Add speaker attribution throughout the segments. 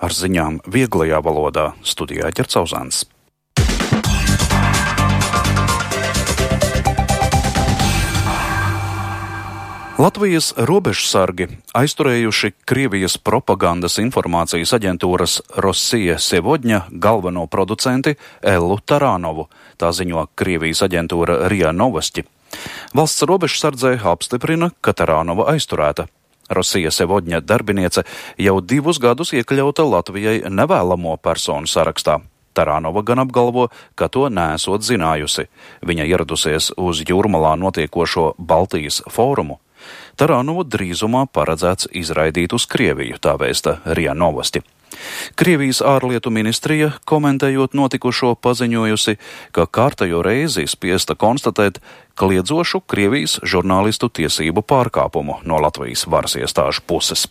Speaker 1: Ar ziņām vieglajā valodā studijā Ģercauzāns. Latvijas robežsargi aizturējuši Krievijas propagandas informācijas aģentūras Rossija Sevodņa galveno producenti Ellu Taranovu, tā ziņo Krievijas aģentūra RIA Novosti. Valsts robežsardzē apstiprina, ka Taranova aizturēta. Rossija Sevodņa darbiniece jau 2 gadus iekļauta Latvijai nevēlamo personu sarakstā. Taranova gan apgalvo, ka to neesot zinājusi. Viņa ieradusies uz Jūrmalā notiekošo Baltijas fórumu. Taranovu drīzumā paredzēts izraidīt uz Krieviju, tā vēsta RIA Novosti. Krievijas ārlietu ministrija, komentējot notikušo, paziņojusi, ka kārtējo reizi spiesta konstatēt kliedzošu Krievijas žurnālistu tiesību pārkāpumu no Latvijas varas iestāžu puses.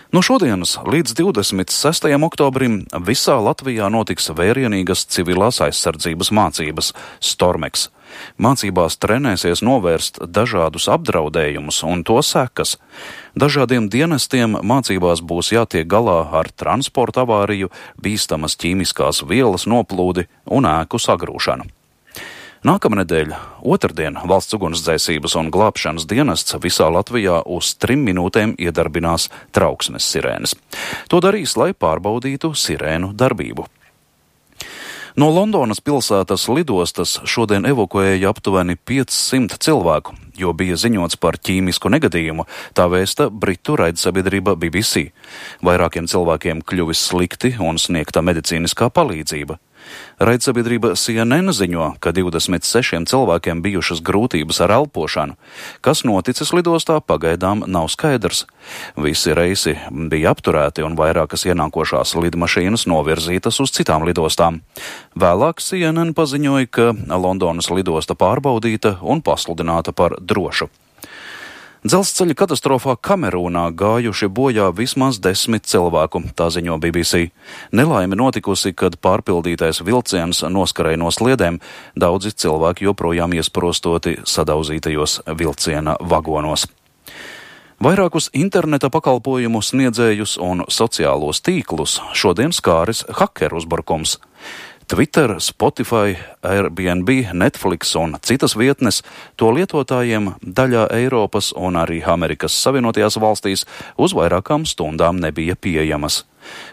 Speaker 1: No šodienas līdz 26. oktobrim visā Latvijā notiks vērienīgas civilās aizsardzības mācības Stormeks. Mācībās trenēsies novērst dažādus apdraudējumus un to sekas. Dažādiem dienestiem mācībās būs jātiek galā ar transporta avāriju, bīstamas ķīmiskās vielas noplūdi un ēku sagrūšanu. Nākamnedēļ, otrdien, Valsts ugunsdzēsības un glābšanas dienests visā Latvijā uz 3 minūtēm iedarbinās trauksmes sirēnes. To darīs, lai pārbaudītu sirēnu darbību. No Londonas pilsētas lidostas šodien evakuēja aptuveni 500 cilvēku, jo bija ziņots par ķīmisku negadījumu, tā vēsta britu raidsabiedrība BBC. Vairākiem cilvēkiem kļuvis slikti un sniegta medicīniskā palīdzība. Raidsabiedrība CNN ziņo, ka 26 cilvēkiem bijušas grūtības ar elpošanu. Kas noticis lidostā, pagaidām nav skaidrs. Visi reisi bija apturēti un vairākas ienākošās lidmašīnas novirzītas uz citām lidostām. Vēlāk CNN paziņoja, ka Londonas lidosta pārbaudīta un pasludināta par drošu. Dzelzceļa katastrofā Kamerūnā gājuši bojā vismaz 10 cilvēku, tā ziņo BBC. Nelaime notikusi, kad pārpildītais vilciens noskarēja no sliedēm, daudzi cilvēki joprojām iesprostoti sadauzītajos vilciena vagonos. Vairākus interneta pakalpojumu sniedzējus un sociālos tīklus šodien skāris hakeru uzbrukums. Twitter, Spotify, Airbnb, Netflix un citas vietnes to lietotājiem daļā Eiropas un arī Amerikas Savienotajās valstīs uz vairākām stundām nebija pieejamas.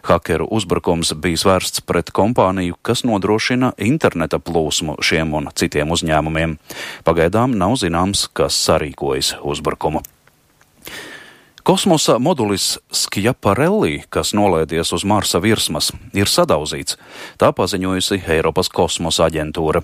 Speaker 1: Hakeru uzbrukums bija vērsts pret kompāniju, kas nodrošina interneta plūsmu šiem un citiem uzņēmumiem. Pagaidām nav zināms, kas sarīkojas uzbrukumu. Kosmosa modulis Schiaparelli, kas nolaidies uz Marsa virsmas, ir sadauzīts, tā paziņojusi Eiropas kosmosa aģentūra.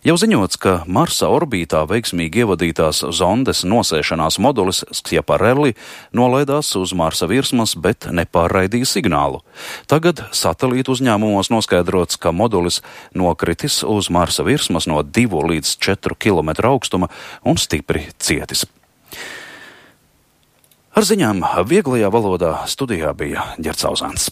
Speaker 1: Jau ziņots, ka Marsa orbītā veiksmīgi ievadītās zondes nosēšanās modulis Schiaparelli nolaidās uz Marsa virsmas, bet nepārraidīja signālu. Tagad satelītu uzņēmumos noskaidrots, ka modulis nokritis uz Marsa virsmas no 2 līdz 4 km augstuma un stipri cietis. Ar ziņām vieglajā valodā studijā bija Ģercauzāns.